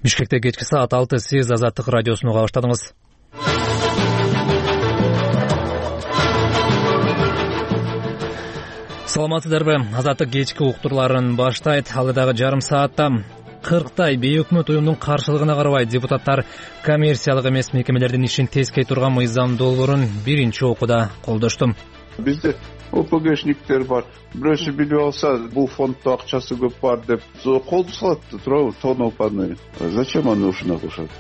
Бишкекте кечки саат 6 сиз Азаттык радиосун уга баштадыңыз. Саламатсыздарбы? Азаттык кечки уктурларын баштайт. Алдыдагы жарым саатта 40 бейөкмөт уюмдун каршылыгына карабай депутаттар коммерциялык эмес мекемелердин ишин тескей турган мыйзам долбоорун биринчи окууда колдошту. Бизде ОПГшниктер бар. Бирөөсү билип алса, бул фонддо акчасы көп бар деп колду салат туурабы, тоноо паны. Зачем аны ушуна кошот?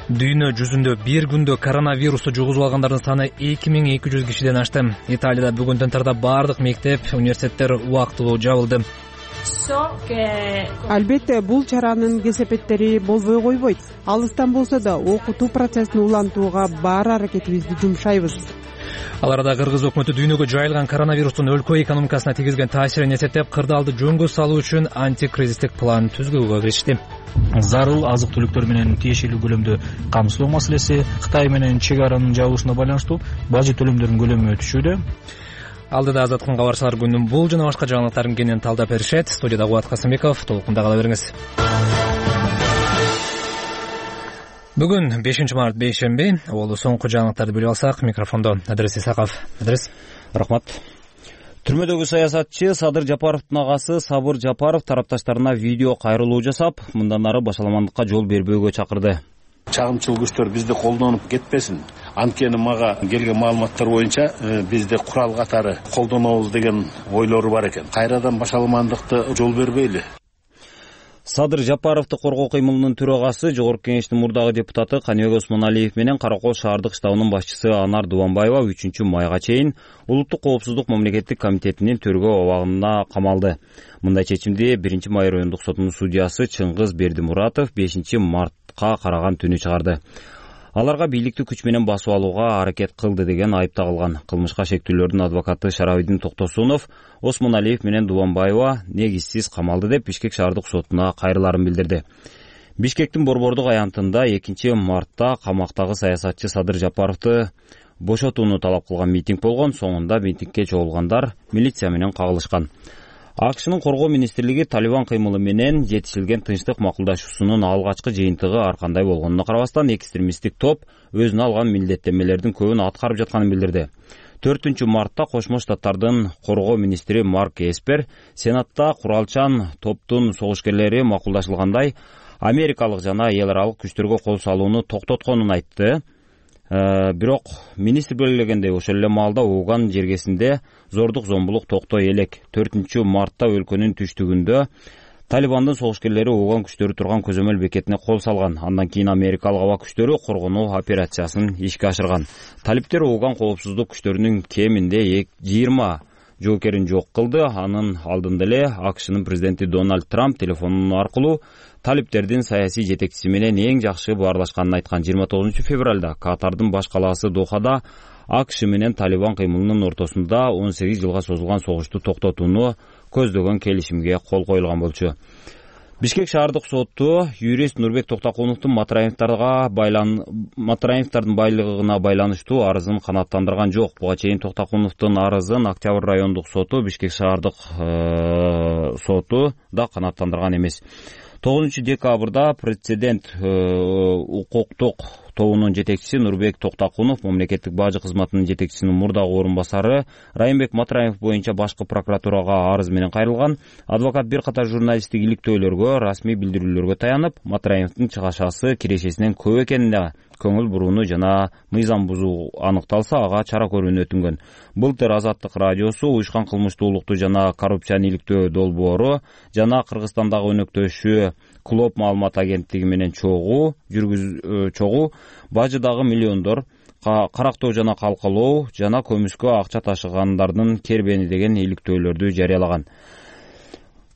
Дүйнө жүзүндө бир күндө коронавирусту жугузуп алгандардын саны 2200 кишиден ашты. Италияда бүгүндөн тарта бардык мектеп, университеттер убактылуу жабылды. Албетте, бул чаранын кесепеттери болбой койбойт. Алыстан болсо да окутуу процессин улантууга бар аракетибизди жумшайбыз. Ал арада Кыргыз өкмөтү дүйнөгө жайылган коронавирустун өлкө экономикасына тийгизген таасирин эсептеп, кырдаалды жөнгө салуу үчүн антикризистик план түзгөгө киришти. Зарыл азык-түлүктөр менен тиешелүү көлөмдө камсыздоо маселеси, Кытай менен чек аранын жабылышына байланыштуу бажы төлөмдөрүнүн көлөмү өтүшүүдө. Алдыда Азаттыктын кабарчылар күнүнүн бул жана башка жаңылыктарын кенен талдап беришет. Студияда Кубат Касымбеков, толкунда кала бериңиз. Бүгүн 5 март бейшемби. Ол соңку жаңылыктарды билип алсак, микрофондо Адрес Исаков. Адрес, рахмат. Түрмөдөгү саясатчы Садыр Жапаровдун агасы Сабыр Жапаров тарапташтарына видео кайрылуу жасап, мындан ары башаламандыкка жол бербөөгө чакырды. Чагымчыл күчтөр бизди колдонуп кетпесин. Анткени мага келген маалыматтар боюнча бизди курал катары колдонобуз деген ойлору бар экен. Кайрадан башаламандыкты жол бербейли. Садыр Жапаровду коргоо кыймылынын төрагасы, Жогорку Кеңештин мурдагы депутаты Каныбек Осмоналиев менен Каракол шаардык штабынын башчысы Анар Дубанбаева 3-майга чейин Улуттук коопсуздук мамлекеттик комитетинин төргөө абагына камалды. Мындай чечимди 1-май райондук сотунун судьясы Чыңгыз Бердимуратов 5-мартка караган түнү чыгарды. Аларга бийликти күч менен басып алууга аракет кылды деген айып тагылган. Кылмышка шектүүлөрдүн адвокаты Шарабидин Токтосунов Осмоналиев менен Дубанбаева негизсиз камалды деп Бишкек шаардык сотуна кайрыларын билдирди. Бишкектин Борбордук аянтында 2-мартта камактагы саясатчы Садыр Жапаровду бошотууну талап кылган митинг болгон. Соңунда митингге чогулгандар милиция менен кагылышкан. АКШнын коргоо министрлиги Талибан кыймылы менен жетишилген тынчтык макулдашуусунун алгачкы жыйынтыгы ар кандай болгонуна карабастан экстремисттик топ өзүнө алган милдеттенмелердин көбүн аткарып жатканын билдирди. 4-мартта Кошмо Штаттардын коргоо министри Марк Эспер Сенатта куралчан топтун согушкерлери макулдашылгандай америкалык жана эл аралык күчтөргө кол салууну токтотконун айтты. Бирок министр белгилегендей ошол эле маалда Уган жергесинде зордук зомбулук токтой элек. 4-мартта өлкөнүн түштүгүндө Талибандын согушкерлери Уган күчтөрү турган көзөмөл бекетине кол салган. Андан кийин америкалык аба күчтөрү коргонуу операциясын ишке ашырган. Талиптер Уган коопсуздук күчтөрүнүн кеминде 20 жоокерин жок кылды. Анын алдында эле АКШнын президенти Дональд Трамп телефон аркылуу талиптердин саясий жетекчиси менен эң жакшы баарлашканын айткан. 29-февралда Катардын баш калаасы Дохада АКШ менен Талибан кыймылынын ортосунда 18 жылга созулган согушту токтотууну көздөгөн келишимге кол коюлган болчу. Бишкек шаардык соту юрист Нурбек Токтакуновдун Матраевдардын байлыгына байланыштуу арызын канааттандырган жок. Буга чейин Токтакуновдун арызын Октябрь райондук соту, Бишкек шаардык соту да канааттандырган эмес. 9-декабрда прецедент укуктук тобунун жетекчиси Нурбек Токтакунов мамлекеттик бажы кызматынын жетекчисинин мурдагы орун басары Райымбек Матраев боюнча башкы прокуратурага арыз менен кайрылган. Адвокат бир катар журналисттик иликтөөлөргө, расмий билдирүүлөргө таянып, Матраевдин чыгашасы кирешесинен көп экенине көңүл бурууну жана мыйзам бузуу аныкталса, ага чара көрүүнү өтүнгөн. Былтыр Азаттык радиосу уюшкан кылмыштуулукту жана коррупцияны иликтөө долбоору жана Кыргызстандагы өнөктөшү Клоп маалымат агенттиги менен чогуу бажыдагы миллиондор карактоо жана калкалоо жана көмүскө акча ташыгандардын кербени деген иликтөөлөрдү жарыялаган.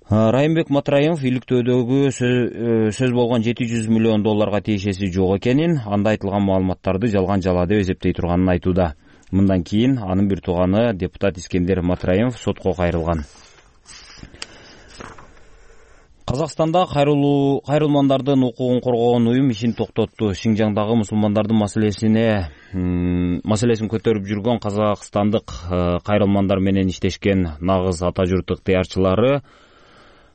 Райымбек Матраев иликтөөдөгү сөз болгон 700 миллион долларга тиешеси жок экенин, анда айтылган маалыматтарды жалган жала деп эсептей турганын айтууда. Мындан кийин анын бир тууганы депутат Искендер Матраев сотко кайрылган. Казакстанда кайрылмандардын укугун коргоон уюм ишин токтотту. Шинжаңдагы мусулмандардын маселесин көтөрүп жүргөн казакстандык кайрылмандар менен иштешкен нагыз ата журт ыктыярчылары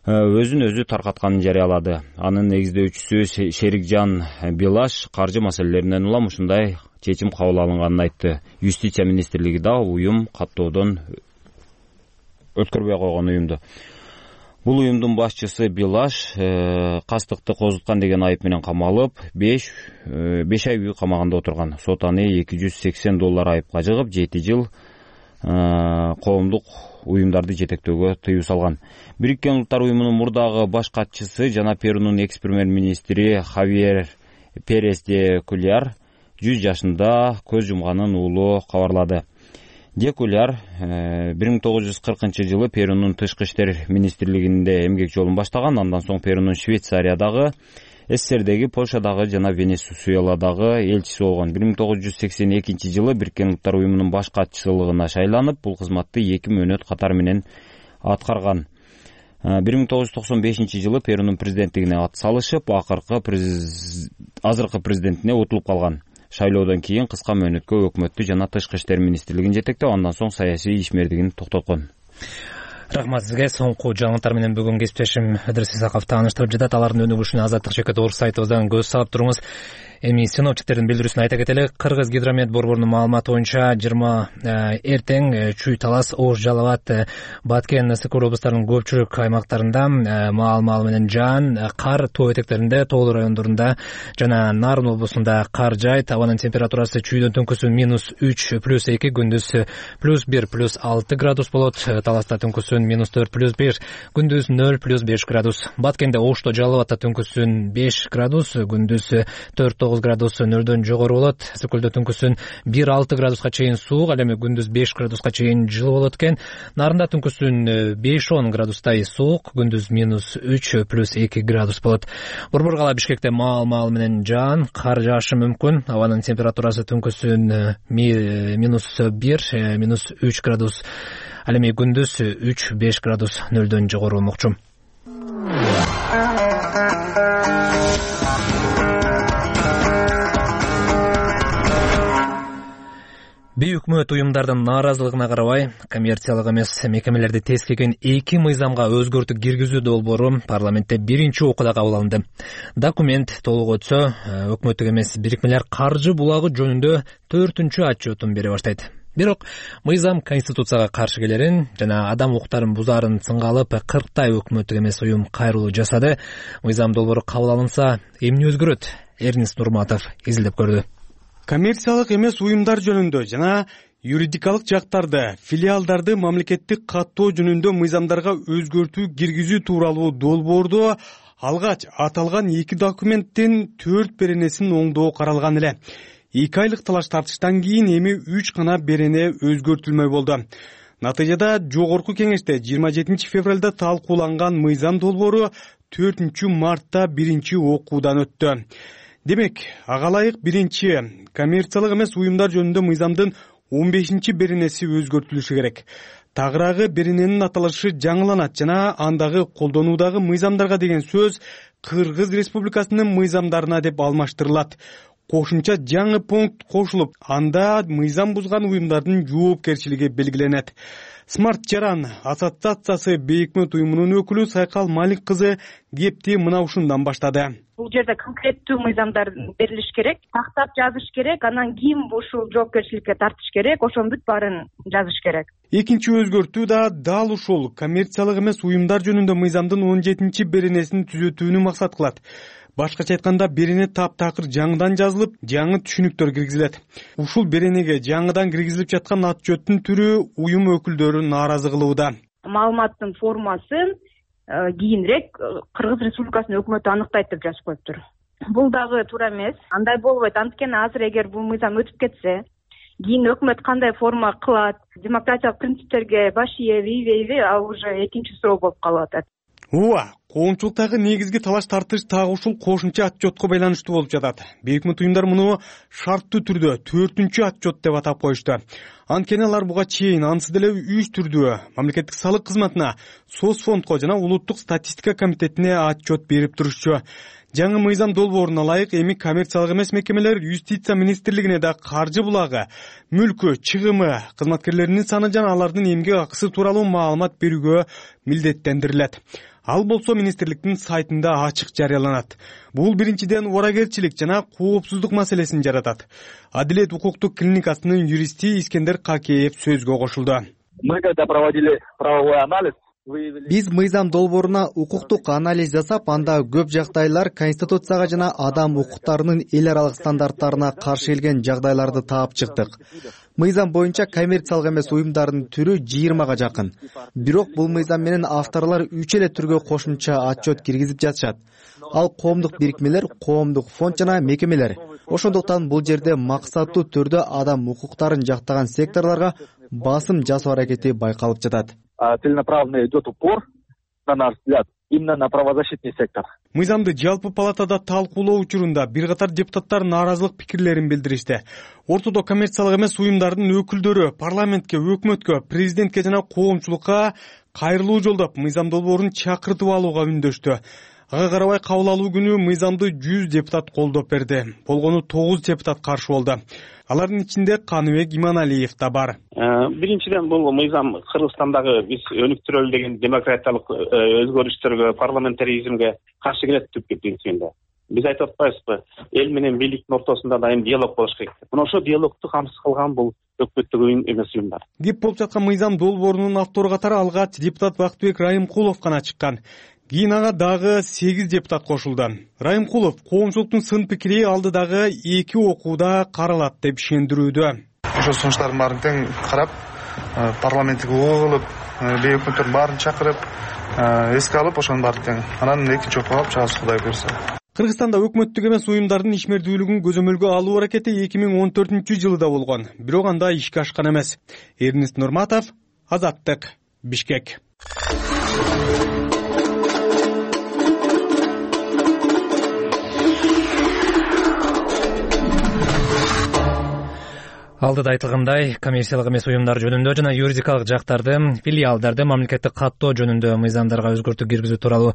өзүн өзү таркатканын жарыялады. Анын негиздөөчүсү Шерикжан Билаш каржы маселелеринен улам ушундай чечим кабыл алынганын айтты. Юстиция министрлиги да уюм каттоодон өткөрбөй койгон уюмду. Бул уюмдун башчысы Билаш кастыкты козуткан деген айып менен камалып, 5 ай үй камагында отурган. Сот аны $280 айыпка жыгып, 7 жыл коомдук уюмдарды жетектөөгө тыюу салган. Бириккен Улуттар уюмунун мурдагы баш катчысы жана Перунун экс-премьер-министри Хавьер Перес де Куляр 100 жашында көз жумганын уулу кабарлады. Де Куляр 1940 Перунун тышкы иштер министрлигинде эмгек жолун баштаган. Андан соң Перунун Швейцариядагы, СССРдеги, Польшадагы жана Венесуэладагы элчиси болгон. 1982 Бириккен Улуттар уюмунун баш катчылыгына шайланып, бул кызматты 2 мөөнөт катар менен аткарган. 1995 Перунун президенттигине ат салышып, азыркы президентине утулуп калган. Шайлоодон кийин кыска мөөнөткө өкмөттү жана тышкы иштер министрлигин жетектеп, андан соң саясий ишмердигин токтоткон. Рахмат сизге. Соңку жаңылыктар менен бүгүн кесиптешим Ыдырыс Исаков тааныштырып жатат. Алардын өнүгүшүнө Азаттык жеке Орус сайтыбыздан көз салып туруңуз. Эми синоптиктердин билдирүүсүн айта кетели. Кыргыз гидромет борборунун маалыматы боюнча 20 эртең Чүй, Талас, Ош, Жалал абад, Баткен, Ысык-Көл облустарынын көпчүлүк аймактарында маал менен жаан, кар тоо этектеринде, тоолуу райондорунда жана Нарын облусунда кар жаайт. Абанын температурасы Чүйдөн түнкүсү -3 + 2, күндүз +1 + 6 градус болот. Таласта түнкүсүн -4 + 1, күндүз 0 + 5 градус. Баткенде, Ошто, Жалал абадта түнкүсүн 5 градус, күндүз 4-9 градус нөлдөн жогору болот. Ысык-Көлдө түнкүсүн 1-6 градуска чейин суук, ал эми күндүз 5 градуска чейин жылы болот экен. Нарында түнкүсүн 5-10 градустай суук, күндүз -3 + 2 градус болот. Борбор кала Бишкекте маал менен жаан, кар жаашы мүмкүн. Абанын температурасы түнкүсүн -1, -3 градус, ал эми күндүз 3-5 градус нөлдөн жогору болмокчу. Бейөкмөт уюмдардын нааразылыгына карабай, коммерциялык эмес мекемелерди тескеген 2 мыйзамга өзгөртүү киргизүү долбоору парламентте биринчи окууда кабыл алынды. Документ толук өтсө, өкмөттүк эмес бирикмелер каржы булагы жөнүндө 4-чү отчетун бере баштайт. Бирок мыйзам конституцияга каршы келерин жана адам укуктарын бузаарын сынга алып, 40 өкмөттүк эмес уюм кайрылуу жасады. Мыйзам долбоору кабыл алынса, эмне өзгөрөт? Эрнис Нурматов изилдеп көрдү. Коммерциялык эмес уюмдар жөнүндө жана юридикалык жактарды, филиалдарды мамлекеттик каттоо жөнүндө мыйзамдарга өзгөртүү киргизүү тууралуу долбоордо алгач аталган 2 документтин 4 беренесин оңдоо каралган эле. 2 айлык талаш тартыштан кийин эми 3 гана берене өзгөртүлмөй болду. Натыйжада жогорку кеңеште 27 февралда талкууланган мыйзам долбоору 4 мартта биринчи окуудан өттү. Демек, ага ылайык биринчи коммерциялык эмес уюмдар жөнүндө мыйзамдын 15 беренеси өзгөртүлүшү керек. Тагыраагы берененин аталышы жаңыланат жана андагы колдонуудагы мыйзамдарга деген сөз Кыргыз Республикасынын мыйзамдарына деп алмаштырылат. Кошумча жаңы пункт кошулуп, анда мыйзам бузган уюмдардын жоопкерчилиги белгиленет. Смарт Жаран ассоциациясы бейөкмөт уюмунун өкүлү Сайкал Малик кызы кепти мына ушундан баштады. Бул жерде конкреттүү мыйзамдар берилиш керек, тактап жазыш керек, анан ким ушул жоопкерчиликке тартыш керек, ошонун бүт баарын жазыш керек. Экинчи өзгөртүү да дал ушул коммерциялык эмес уюмдар жөнүндө мыйзамдын 17 беренесин түзөтүүнү максат кылат. Башкача айтканда, берене таптакыр жаңыдан жазылып, жаңы түшүнүктөр киргизилет. Ушул беренеге жаңыдан киргизилип жаткан отчеттун түрү уюм өкүлдөрү нааразы кылууда. Маалыматтын формасын кийинирээк Кыргыз Республикасынын өкмөтү аныктайт деп жазып коюптур. Бул дагы туура эмес. Андай болбойт. Анткени азыр эгер бул мыйзам өтүп кетсе, кийин өкмөт кандай форма кылат, демократиялык принциптерге баш ийеби, ал уже экинчи суроо болуп калып атат. Ооба, коомчулуктагы негизги талаш тартыш так ушул кошумча отчетко байланыштуу болуп жатат. Бейөкмөт уюмдар муну шарттуу түрдө 4-чү отчет деп атап коюшту. Анткени алар буга чейин ансыз деле 3 түрдүү мамлекеттик салык кызматына, Соцфондко жана улуттук статистика комитетине отчет берип турушчу. Жаңы мыйзам долбооруна ылайык эми коммерциялык эмес мекемелер Юстиция министрлигине да каржы булагы, мүлкү, чыгымы, кызматкерлеринин саны жана алардын эмгек акысы тууралуу маалымат берүүгө милдеттендирилет. Ал болсо министрликтин сайтында ачык жарыяланат. Бул биринчиден убаракерчилик жана коопсуздук маселесин жаратат. Адилет укуктук клиникасынын юристи Искендер Какеев сөзгө кошулду. Мы когда проводили правовой анализ, биз мыйзам долбооруна укуктук анализ жасап, анда көп жагдайлар Конституцияга жана адам укуктарынын эл аралык стандарттарына каршы келген жагдайларды таап чыктык. Мыйзам боюнча коммерциялык эмес уюмдардын түрү 20га жакын. Бирок бул мыйзам менен авторлор 3 эле түргө кошумча отчет киргизип жатышат. Ал коомдук бирикмелер, коомдук фонд жана мекемелер. Ошондуктан бул жерде максаттуу түрдө адам укуктарын жактаган секторлорго басым жасоо аракети байкалып жатат. Целенаправленно идет упор, на наш взгляд, именно на правозащитный сектор. Мыйзамды жалпы палатада талкуулоо учурунда бир катар депутаттар нааразылык пикирлерин билдиришти. Ортодо коммерциялык эмес уюмдардын өкүлдөрү парламентке, өкмөткө, президентке жана коомчулукка кайрылуу жолдоп мыйзам долбоорун чакыртып алууга үндөштү. Ага карабай кабыл алуу күнү мыйзамды 100 депутат колдоп берди. Болгону 9 депутат каршы болду. Алардын ичинде Каныбек Иманалиев да бар. Биринчиден бул мыйзам Кыргызстандагы биз өнүктүрөлү деген демократиялык өзгөрүштөргө, парламентаризмге каршы келет түп принцибинде. Биз айтып атпайбызбы, эл менен бийликтин ортосунда дайым диалог болуш керек. Мына ошо диалогду камсыз кылган бул өкмөттүк уюм эмес уюмдар. Кеп болуп жаткан мыйзам долбоорунун автору катары алгач депутат Бактыбек Райымкулов гана чыккан. Кийин ага дагы 8 депутат кошулду. Райымкулов коомчулуктун сын пикири алдыдагы 2 окууда каралат деп ишендирүүдө. Ошо сунуштардын баарын тең карап, парламенттик угуу кылып, өкмөттөрдүн баарын чакырып, эске алып, ошонун баарын тең анан экинчи окууга алып чыгабыз, Кудай буйрса. Кыргызстанда өкмөттүк эмес уюмдардын ишмердүүлүгүн көзөмөлгө алуу аракети 2014-жылда болгон, бирок анда ишке ашкан эмес. Эрнест Нурматов, Азаттык, Бишкек. Алдыда айтылгандай, коммерциялык эмес уюмдар жөнүндө жана юридикалык жактарды, филиалдарды мамлекеттик каттоо жөнүндө мыйзамдарга өзгөртүү киргизүү тууралуу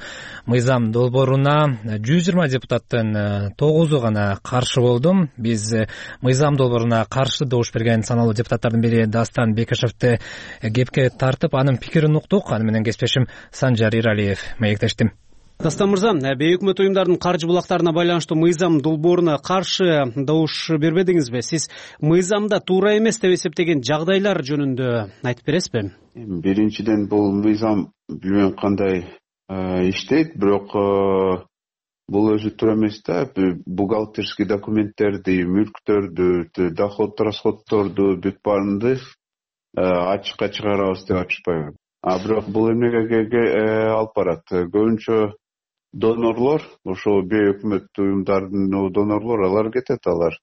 мыйзам долбооруна 120 депутаттын 9-у гана каршы болду. Биз мыйзам долбооруна каршы добуш берген саналуу депутаттардын бири Дастан Бекешевди кепке тартып, анын пикирин уктук. Аны менен кесиптешим Санжар Иралиев маектешти. Дастан мырза, бейөкмөт уюмдардын каржы булактарына байланыштуу мыйзам долбооруна каршы добуш бербедиңизби? Сиз мыйзамда туура эмес деп эсептеген жагдайлар жөнүндө айтып бересизби? Биринчиден бул мыйзам билбейм кандай иштейт, бирок бул өзү туура эмес да. Бухгалтерский документтерди, мүлктөрдү, доход расходторду бүт баарынды ачыкка чыгарабыз деп айтышпайбы? Бирок бул эмнеге алып барат? Көбүнчө донорлор, ошо бейөкмөт уюмдардын донорлор, алар кетет, алар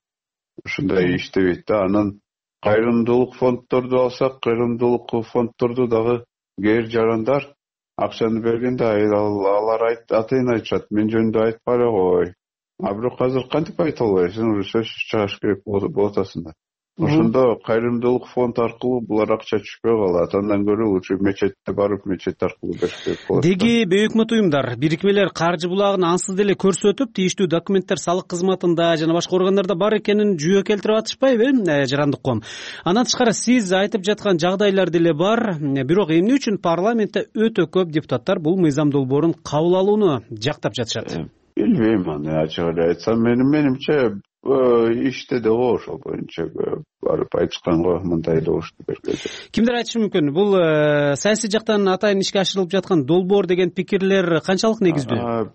ушундай иштебейт да. Анан кайрымдуулук фонддорду алсак, кайрымдуулук фонддорду дагы кээ жарандар акчаны бергенде алар атайын айтышат, мен жөнүндө айтпай эле кой. Бирок азыр кантип айта албайсың, уже сөз чыгыш керек болуп атасың да. Ошондо кайрымдуулук фонд аркылуу булар акча түшпөй калат. Андан көрө лучше мечетте барып, мечет аркылуу бериш керек болот. Деги бейөкмөт уюмдар, бирикмелер каржы булагын ансыз деле көрсөтүп, тийиштүү документтер салык кызматында жана башка органдарда бар экенин жүйө келтирип атышпайбы, жарандык коом? Андан тышкары сиз айтып жаткан жагдайлар деле бар, бирок эмне үчүн парламентте өтө көп депутаттар бул мыйзам долбоорун кабыл алууну жактап жатышат? Билбейм, аны ачык эле айтсам, менимче иште да ошол боюнча барып айтышканго мындай добушту берген. Кимдер айтышы мүмкүн? Бул саясий жактан атайын ишке ашырылып жаткан долбоор деген пикирлер канчалык негиздүү?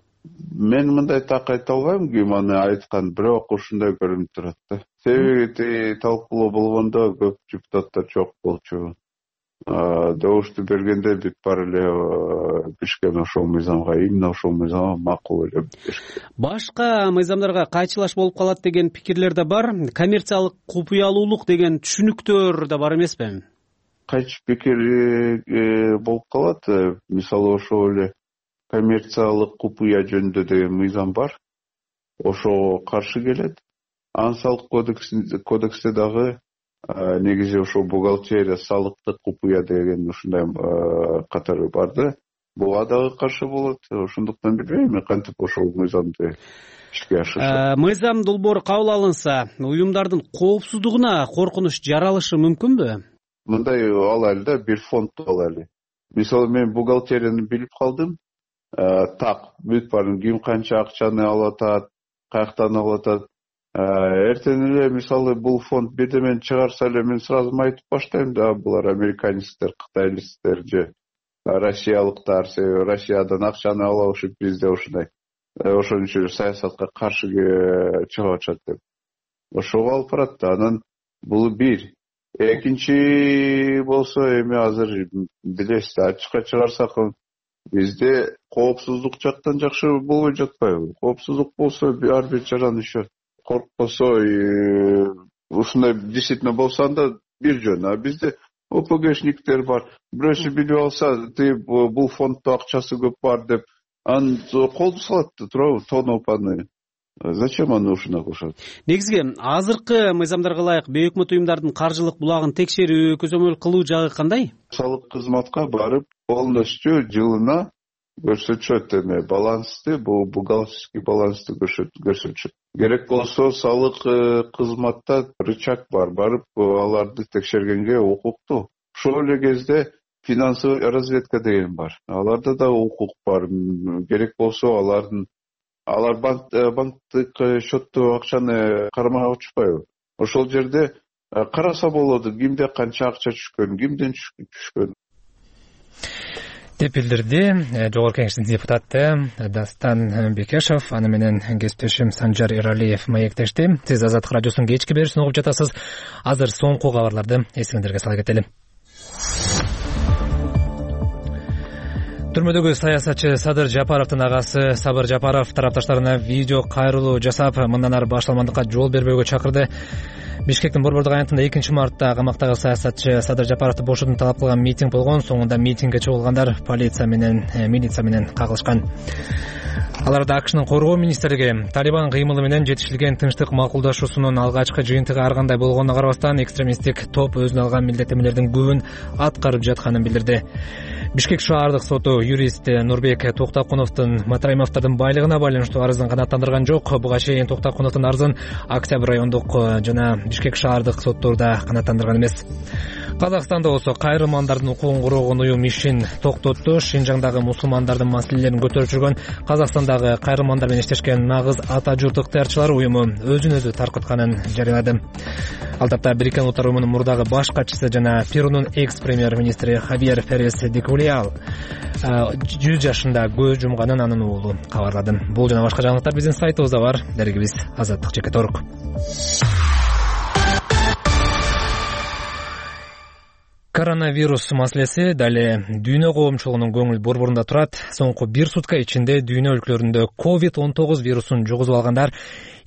Мен мындай так айта албайм, ким аны айткан, бирок ушундай көрүнүп турат да. Себеби талкуулоо болгондо көп депутаттар жок болчу. Добушту бергенде бүт бар эле бишкен ошол мыйзамга, именно ошол мыйзамга макул эле. Башка мыйзамдарга кайчылаш болуп калат деген пикирлер да бар. Коммерциялык купуялуулук деген түшүнүктөр да бар эмеспи? Кайчы пикир болуп калат. Мисалы ошол эле коммерциялык купуя жөнүндө деген мыйзам бар. Ошого каршы келет. Ансалык кодексте дагы негизи ошо бухгалтерия, салыктык купуя деген ушундай катары бар да. Буга дагы каршы болот. Ошондуктан билбейм кантип ошол мыйзамды ишке ашырышат. Мыйзам долбоору кабыл алынса, уюмдардын коопсуздугуна коркунуч жаралышы мүмкүнбү? Мындай алайлы да, бир фонд алайлы. Мисалы мен бухгалтерияны билип калдым. так бүт баарын ким канча акчаны алып атат, каяктан алып атат. Эртең эле мисалы бул фонд бирдемени чыгарса эле мен сразу айтып баштайм да, булар американецтер, кытайлыктар же россиялыктар, себеби Россиядан акчаны алып ушуп бизде ушундай ошон үчүн саясатка каршы чыгып атышат деп. Ошого алып барат да. Анан бул бир. Экинчи болсо эми азыр билесиз, ачыкка чыгарсак бизде коопсуздук жактан жакшы болбой жатпайбы? Коопсуздук болсо ар бир жаранышат. Коркпосо ушундай действительно болсо анда бир жөн. А бизде ОПГшниктер бар. Бирөөсү билип алса, бул фонддо акчасы көп бар деп, аны колду салат да туурабы, тонопаны. Зачем аны ушуна кошот? Негизги азыркы мыйзамдарга ылайык бейөкмөт уюмдардын каржылык булагын текшерүү, көзөмөл кылуу жагы кандай? Салык кызматка барып, полностью жылына көрсөтүшөт эме балансты, бул бухгалтерский балансты көрсөтүшөт. Керек болсо салык кызматта рычаг бар, барып аларды текшергенге укуктуу. Ошол эле кезде финансовый разведка деген бар. Аларда да укук бар. Керек болсо алар банктык счетту акчаны кармай отушпайбы? Ошол жерде караса болот, кимде канча акча түшкөн, кимден түшкөн деп билдирди Жогорку Кеңештин депутаты Дастан Бекешев. Аны менен кесиптешим Санжар Эралиев маектешти. Сиз Азаттык радиосунун кечки берүүсүн угуп жатасыз. Азыр соңку кабарларды эсиңиздерге сала кетели. Түрмөдөгү саясатчы Садыр Жапаровдун агасы Сабыр Жапаров тарапташтарына видео кайрылуу жасап, мындан ары башталмандыкка жол бербөөгө чакырды. Бишкектин Борбордук аянтында 2-мартта камактагы саясатчы Садыр Жапаровду бошотууну талап кылган митинг болгон. Соңунда митингге чыгылгандар милиция менен кагылышкан. Аларда АКШнын коргоо министрлиги Талибан кыймылы менен жетишилген тынчтык макулдашуусунун алгачкы жыйынтыгы ар кандай болгонуна карабастан, экстремисттик топ өзүнө алган милдеттемелердин көбүн аткарып жатканын билдирди. Бишкек шаардык соту юрист Нурбек Токтакуновдун Матраимовдун байлыгына байланыштуу арызын канааттандырган жок. Буга чейин Токтакуновдун арызын Октябрь райондук жана Бишкек шаардык соттурда канааттандырган эмес. Казакстанда болсо кайрылмандардын укугун коргогон уюм ишин токтотту. Шинжаңдагы мусулмандардын маселелерин көтөрүп жүргөн Казакстандагы кайрылмандар менен иштешкен нагыз ата журт ыктыярчылар уюму өзүн өзү таркытканын жарыялады. Ал тапта Бириккен Улуттар уюмунун мурдагы баш катчысы жана Перунун экс-премьер-министри Хавьер Перес де Кулиал 100 жашында көз жумганын анын уулу кабарлады. Бул жана башка жаңылыктар биздин сайтыбызда бар. Дарегибиз azаттык.org. Коронавирус маселеси дале дүйнө коомчулугунун көңүл борборунда турат. Соңку 1 сутка ичинде дүйнө өлкөлөрүндө COVID-19 вирусун жугузуп алгандар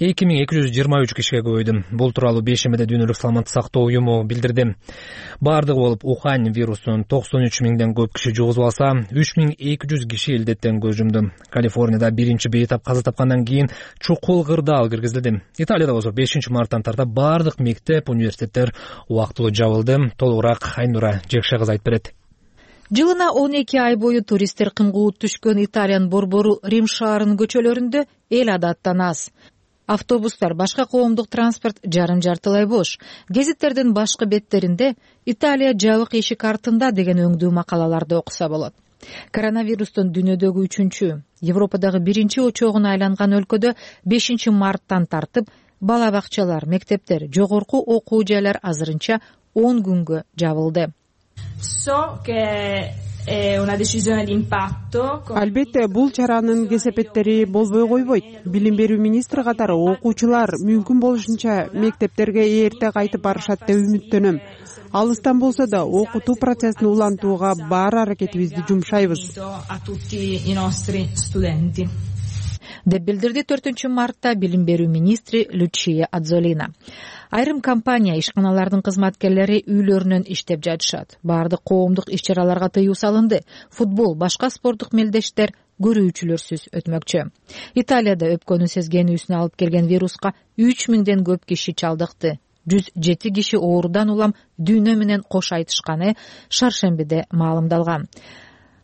2223 кишиге көбөйдү. Бул тууралуу бейшембиде Дүйнөлүк саламаттык сактоо уюму билдирди. Бардыгы болуп Ухань вирусун 93 миңден көп киши жугузуп алса, 3200 киши илдеттен көз жумду. Калифорнияда биринчи бейтап каза тапкандан кийин чукул кырдаал киргизилди. Италияда болсо 5 марттан тарта бардык мектеп, университеттер убактылуу жабылды. Толугураак Айнура Жекше кызы айтып берет. Жылына 12 ай бою туристтер кымгуут түшкөн Италиянын борбору Рим шаарынын көчөлөрүндө эл адаттан аз. Автобустар, башка коомдук транспорт жарым-жартылай бош. Гезиттердин башкы беттеринде Италия жабык эшик артында деген өңдүү макалаларды окуса болот. Коронавирустун дүйнөдөгү 3-чү, Европадагы 1-чи очогуна айланган өлкөдө 5 марттан тартып бала бакчалар, мектептер, жогорку окуу жайлар азырынча 10 күнгө жабылды. Албетте, бул чаранын кесепеттери болбой койбойт. Билим берүү министри катары окуучулар мүмкүн болушунча мектептерге эрте кайтып барышат деп үмүттөнөм. Алыстан болсо да окутуу процессин улантууга бар аракетибизди жумшайбыз деп билдирди 4 мартта билим берүү министри Лючия Адзолина. Айрым компания ишканалардын кызматкерлери үйлөрүнөн иштеп жатышат. Бардык коомдук иш-чараларга тыюу салынды. Футбол, башка спорттук мелдештер көрүүчүлөрсүз өтмөкчү. Италияда өпкөнү сезгенүүсүнө алып келген вируска 3000ден көп киши чалдыкты. 107 киши оорудан улам дүйнө менен кош айтышканы шаршембиде маалымдалган.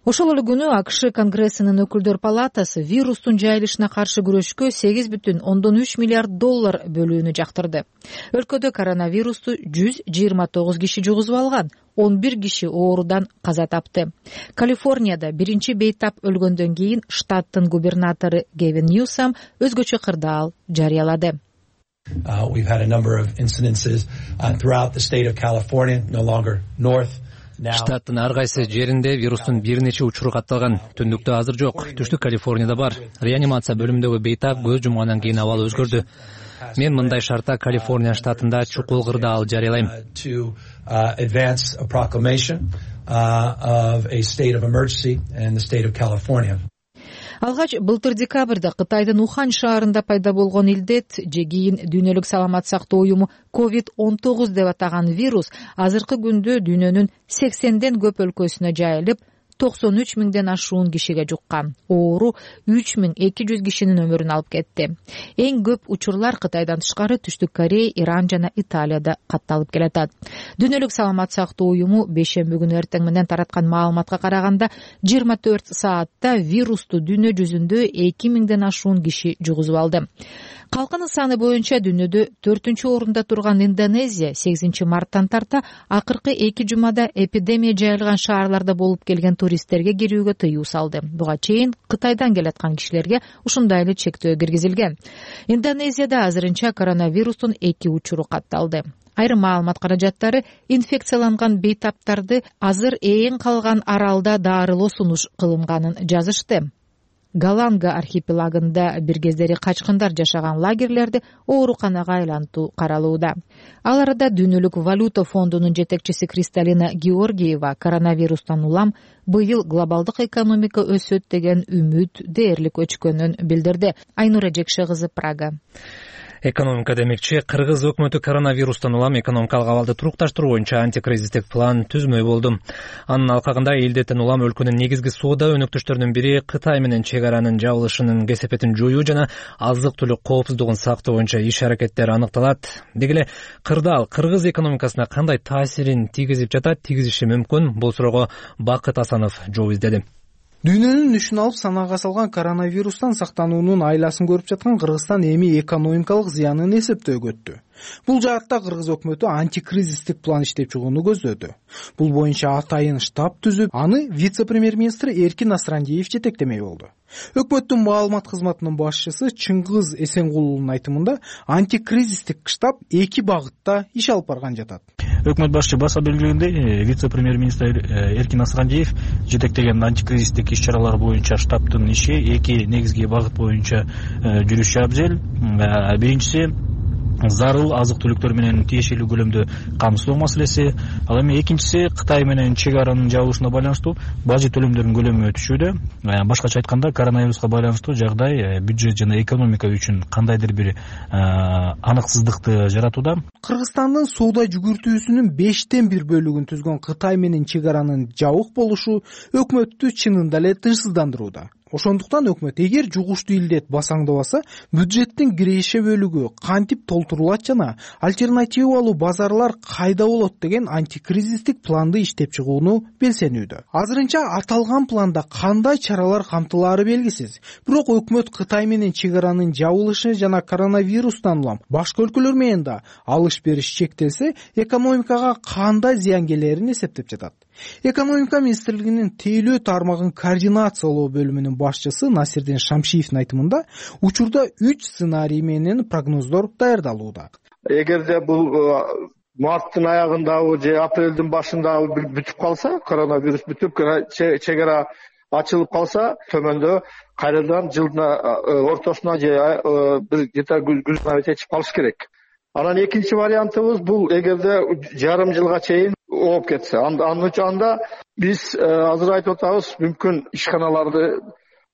Ошол эле күнү АКШ Конгрессинин өкүлдөр палатасы вирустун жайылышына каршы күрөшкө $8,3 миллиард бөлүүнү жактырды. Өлкөдө коронавирусту 129 киши жугузуп алган, 11 киши оорудан каза тапты. Калифорнияда биринчи бейтап өлгөндөн кийин штаттын губернатору Гевин Ньюсом өзгөчө кырдаал жарыялады. We've had a number of incidences throughout the state of California, no longer north. Штаттын ар кайсы жеринде вирустун бир нече учуру катталган. Түндүктө азыр жок. Түштүк Калифорнияда бар. Реанимация бөлүмүндөгү бейтап көз жумгандан кийин абал өзгөрдү. Мен мындай шартта Калифорния штатында чукул кырдаал жарыялайм. Advance a proclamation of a state of emergency in the state of California. Алгач былтыр декабрда Кытайдын Ухань шаарында пайда болгон илдет же кийин Дүйнөлүк саламат сактоо уюму COVID-19 деп атаган вирус азыркы күндө дүйнөнүн 80ден көп өлкөсүнө жайылып, 93 миңден ашуун кишиге жуккан. Оору 3200 кишинин өмүрүн алып кетти. Эң көп учурлар Кытайдан тышкары Түштүк Корея, Иран жана Италияда катталып келатат. Дүйнөлүк саламат сактоо уюму бейшемби күнү эртең менен тараткан маалыматка караганда 24 саатта вирусту дүйнө жүзүндө 2000ден ашуун киши жугузуп алды. Калкынын саны боюнча дүйнөдө 4-орунда турган Индонезия 8 марттан тарта акыркы 2 жумада эпидемия жайылган шаарларда болуп келген туристтерге кирүүгө тыюу салды. Буга чейин Кытайдан келаткан кишилерге ушундай эле чектөө киргизилген. Индонезияда азырынча коронавирустун 2 учуру катталды. Айрым маалымат каражаттары инфекцияланган бейтаптарды азыр ээн калган аралда дарылоо сунуш кылынганын жазышты. Галанга архипелагында бир кездери качкындар жашаган лагерлерди ооруканага айлантуу каралууда. Ал арада Дүйнөлүк валюта фондунун жетекчиси Кристалина Георгиева коронавирустан улам быйыл глобалдык экономика өсөт деген үмүт дээрлик өчкөнүн билдирди. Айнура Жекше кызы, Прага. Экономика демекчи, Кыргыз өкмөтү коронавирустан улам экономикалык абалды турукташтыруу боюнча антикризистик план түзмөй болду. Анын алкагында элдеттен улам өлкөнүн негизги соода өнөктөштөрүнүн бири Кытай менен чек аранын жабылышынын кесепетин жоюу жана азык-түлүк коопсуздугун сактоо боюнча иш-аракеттер аныкталат. Деги эле кырдаал Кыргыз экономикасына кандай таасирин тийгизип жатат, тийгизиши мүмкүн? Бул суроого Бакыт Асанов жооп издеди. Дүйнөнүн нүшүн алып санаага салган коронавирустан сактануунун айласын көрүп жаткан Кыргызстан эми экономикалык зыянын эсептөөгө өттү. Бул жаатта Кыргыз өкмөтү антикризистик план иштеп чыгууну көздөдү. Бул боюнча атайын штаб түзүп, аны вице-премьер-министр Эркин Насрандиев жетектемек болду. Өкмөттүн маалымат кызматынын башчысы Чыңгыз Эсенгулунун айтымында, антикризистик штаб 2 багытта иш алып барган жатат. Өкмөт башчы баса белгилегендей, вице-премьер-министр Эркин Насрандиев жетектеген антикризистик иш-чаралар боюнча штабтын иши 2 негизги багыт боюнча жүрүшү абзел. Биринчиси зарыл азык-түлүктөр менен тиешелүү көлөмдө камсыздоо маселеси. Ал эми экинчиси Кытай менен чек аранын жабылышына байланыштуу бажы төлөмдөрүнүн көлөмү өтүшүүдө. Башкача айтканда, коронавируска байланыштуу жагдай бюджет жана экономика үчүн кандайдыр бир аныксыздыкты жаратууда. Кыргызстандын соода жүгүртүүсүнүн 5тен 1 бөлүгүн түзгөн Кытай менен чек аранын жабык болушу өкмөттү чынында эле тынчсыздандырууда. Ошондуктан өкмөт эгер жугуштуу илдет басаңдабаса, бюджеттин киреше бөлүгү кантип толтурулат жана альтернативалуу базарлар кайда болот деген антикризистик планды иштеп чыгууну белсенүүдө. Азырынча аталган планда кандай чаралар камтылаары белгисиз. Бирок өкмөт Кытай менен чек аранын жабылышы жана коронавирустан улам башка өлкөлөр менен да алыш-бериш чектелсе, экономикага кандай зыян келерин эсептеп жатат. Экономика министрлигинин тейлөө тармагын координациялоо бөлүмүнүн башчысы Насирдин Шамшиевдин айтымында, учурда 3 сценарий менен прогноздор даярдалууда. Эгерде бул марттын аягындагы же апрелдин башындагы бүтүп калса, коронавирус бүтүп, чек ара ачылып калса, төмөндө кайрадан жылдын ортосуна же бир күзгө чечип калыш керек. Анан экинчи вариантыбыз бул эгерде жарым жылга чейин ооп кетсе, анда биз азыр айтып атабыз, мүмкүн ишканаларды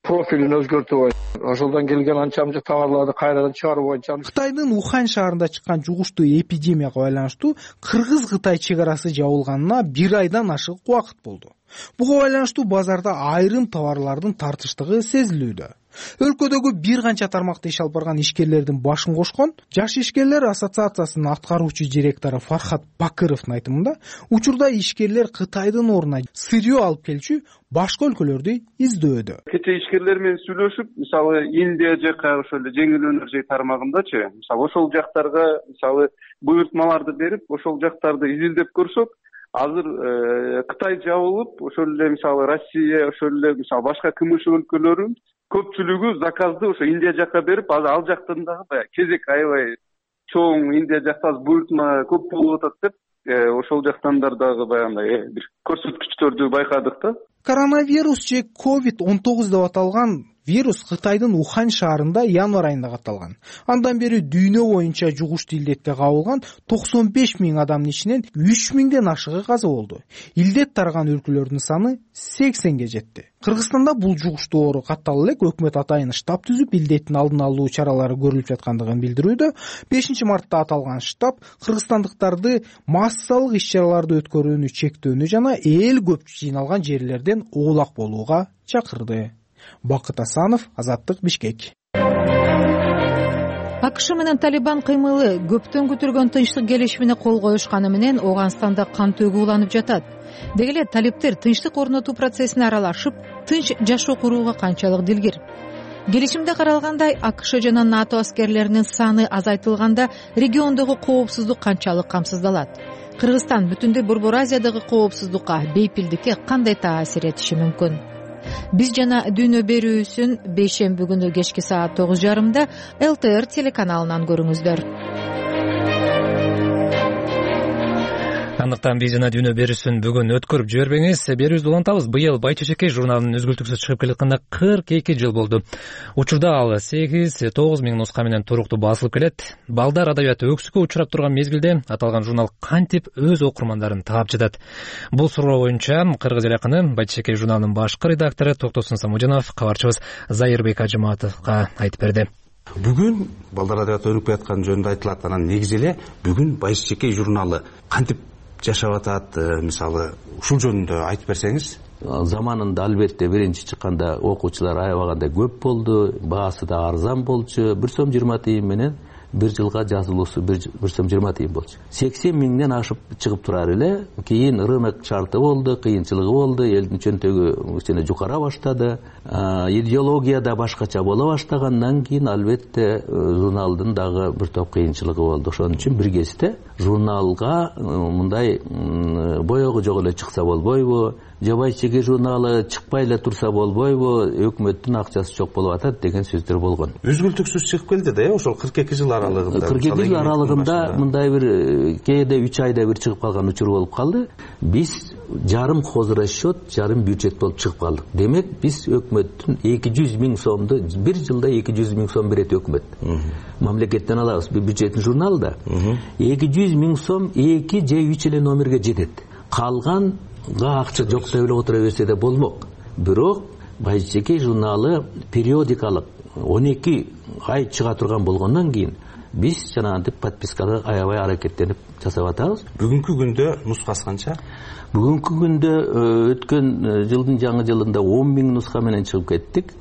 профилин өзгөртүү боюнча, ошолдон келген анча-мынча товарларды кайрадан чыгаруу боюнча. Кытайдын Ухань шаарында чыккан жугуштуу эпидемияга байланыштуу Кыргыз-Кытай чек арасы жабылганына 1 айдан ашык убакыт болду. Буга байланыштуу базарда айрым товарлардын тартыштыгы сезилүүдө. Өлкөдөгү бир канча тармакта иш алып барган ишкерлердин башын кошкон Жаш ишкерлер ассоциациясынын аткаруучу директору Фархат Бакыровдун айтымында, учурда ишкерлер Кытайдын ордуна сырье алып келчү башка өлкөлөрдү издөөдө. Кечээ ишкерлер менен сүйлөшүп, мисалы Индия жака ошол эле жеңил өнөр жай тармагындачы, мисалы ошол жактарга мисалы буйртмаларды берип, ошол жактарды изилдеп көрсөк, азыр Кытай жабылып, ошол эле мисалы Россия, ошол эле мисалы башка КМШ өлкөлөрү көпчүлүгү заказды ошо Индия жакка берип, азыр ал жактан дагы баягы кезек аябай чоң, Индия жакта буйртма көп болуп атат деп, ошол жактан дагы баягындай бир көрсөткүчтөрдү байкадык да. Коронавирус же COVID-19 деп аталган вирус Кытайдын Ухань шаарында январь айында катталган. Андан бери дүйнө боюнча жугуштуу илдетке кабылган 95 миң адамдын ичинен 3 миңден ашыгы каза болду. Илдет тараган өлкөлөрдүн саны 80ге жетти. Кыргызстанда бул жугуштуу оору каттала элек өкмөт атайын штаб түзүп, илдеттин алдын алуу чаралары көрүлүп жаткандыгын билдирүүдө. 5 мартта аталган штаб кыргызстандыктарды массалык иш-чараларды өткөрүүнү чектөөнү жана эл көп жыйналган жерлерден оолак болууга чакырды. Бакыт Асанов, Азаттык, Бишкек. АКШ менен Талибан кыймылы көптөн күтүлгөн тынчтык келишимине кол коюшканы менен Ооганстанда кан төгүү уланып жатат. Деги эле талиптер тынчтык орнотуу процессине аралашып, тынч жашоо курууга канчалык дилгир. Келишимде каралгандай, АКШ жана НАТО аскерлеринин саны азайтылганда региондогу коопсуздук канчалык камсыздалат? Кыргызстан бүтүндөй Борбор Азиядагы коопсуздукка, бейпилдикке кандай таасир этиши мүмкүн? Биз жана дүйнө берүүсүн бейшемби күнү кечки саат 9:30 ЛТР телеканалынан көрүңүздөр. Андыктан биз жана дүйнө берүүсүн бүгүн өткөрүп жибербеңиз. Берүүбүздү улантабыз. Быйыл Бай Чечекей журналынын үзгүлтүксүз чыгып келатканда 42 жыл болду. Учурда ал 8-9 миң нуска менен туруктуу басылып келет. Балдар адабияты өксүккө учурап турган мезгилде аталган журнал кантип өз окурмандарын таап жатат? Бул суроо боюнча кыргыз эл акыны Бай Чечекей журналынын башкы редактору Токтосун Самужанов кабарчыбыз Зайырбек Ажыматовго айтып берди. Бүгүн балдар адабияты өнүгүп жаткан жөнүндө айтылат. Анан негизи эле бүгүн Бай Чечекей журналы кантип жашап атат, мисалы ушул жөнүндө айтып берсеңиз. Заманында албетте биринчи чыкканда окуучулар аябагандай көп болду, баасы да арзан болчу. 1 сом 20 тыйын менен бир жылга жазылуусу 1 сом 20 тыйын болчу. 80 миңден ашып чыгып турар эле. Кийин рынок шарты болду, кыйынчылыгы болду, элдин чөнтөгү кичине жукара баштады. Идеология да башкача боло баштагандан кийин албетте журналдын дагы бир топ кыйынчылыгы болду. Ошон үчүн бир кезде журналга мындай боёгу жок эле чыкса болбойбу? Бай Чечекей журналы чыкпай эле турса болбойбу? Өкмөттүн акчасы жок болуп атат деген сөздөр болгон. Үзгүлтүксүз чыгып келди да, ошол 42 жыл аралыгында. 42 жыл аралыгында мындай бир кээде 3 айда бир чыгып калган учур болуп калды. Биз жарым хозрасчет, жарым бюджет болуп чыгып калдык. Демек биз өкмөттүн 200 миң сомду бир жылда 200 миң сом берет өкмөт. Мамлекеттен алабыз. Бюджеттин журналы да 200 миң сом 2 же 3 эле номерге жетет. Калганга акча жок деп эле отура берсе да болмок. Бирок Бай Чечекей журналы периодикалык 12 ай чыга турган болгондон кийин биз жанагынтип подпискада аябай аракеттенип жасап атабыз. Бүгүнкү күндө нускасы канча? Бүгүнкү күндө өткөн жылдын жаңы жылында 10 миң нуска менен чыгып кеттик.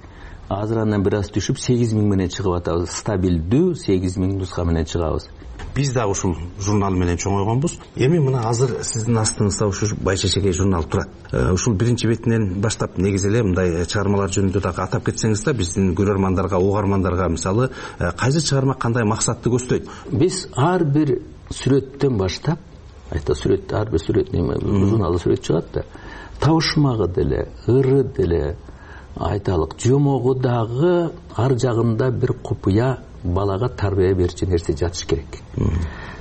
Азыр андан бир аз түшүп 8 миң менен чыгып атабыз. Стабилдүү 8 миң нуска менен чыгабыз. Биз да ушул журнал менен чоңойгонбуз. Эми мына азыр сиздин астыңызда ушул Бай Чечекей журнал турат. Ушул биринчи бетинен баштап негизи эле мындай чыгармалар жөнүндө дагы атап кетсеңиз да, биздин көрөрмандарга, угармандарга мисалы кайсы чыгарма кандай максатты көздөйт? Биз ар бир сүрөттөн баштап, сүрөт, ар бир сүрөт журналда сүрөт чыгат да. Табышмагы деле, ыры деле, айталык, жомогу дагы ар жагында бир купуя балага тарбия берчү нерсе жатыш керек.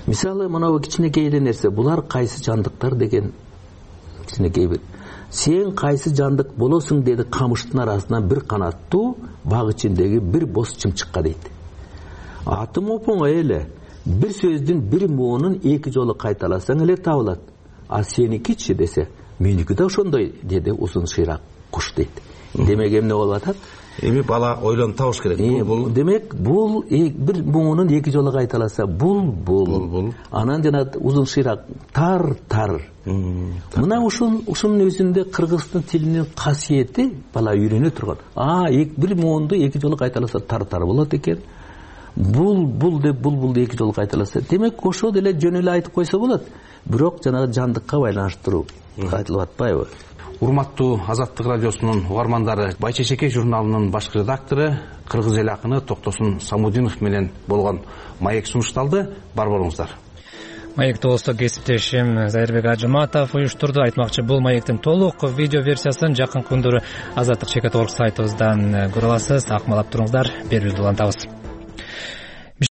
Мисалы, мына кичинекей эле нерсе, булар кайсы жандыктар деген кичинекей бир. Сен кайсы жандык болосуң деди камыштын арасынан бир канаттуу баг ичиндеги бир боз чымчыкка дейт. Атым оңой эле. Бир сөздүн бир моонун 2 жолу кайталасаң эле табылат. А сеникичи десе, меники да ошондой деди узун шыйрак куш дейт. Демек эмне болуп атат? эми бала ойлонуп табыш керек. Демек бул бир муңунун эки жолу кайталаса бул анан жана узун шыйрак тар мына ушунун өзүндө кыргыздын тилинин касиети бала үйрөнө турган. Бир муунду эки жолу кайталаса тар болот экен. Бул деп бул эки жолу кайталаса, демек ошо деле жөн эле айтып койсо болот. Бирок жанагы жандыкка байланыштыруу айтылып атпайбы? Урматтуу Азаттык радиосунун угармандары, Байчечеке журналынын башкы редактору кыргыз эл акыны Токтосун Самудинов менен болгон маек сунушталды. Бар болуңуздар. Маекти болсо кесиптешим Зайырбек Ажыматов уюштурду. Айтмакчы, бул маектин толук видео версиясын жакын күндөрү Азаттык Чекет.org сайтыбыздан көрө аласыз. Акмалап туруңуздар, берүүбүздү улантабыз.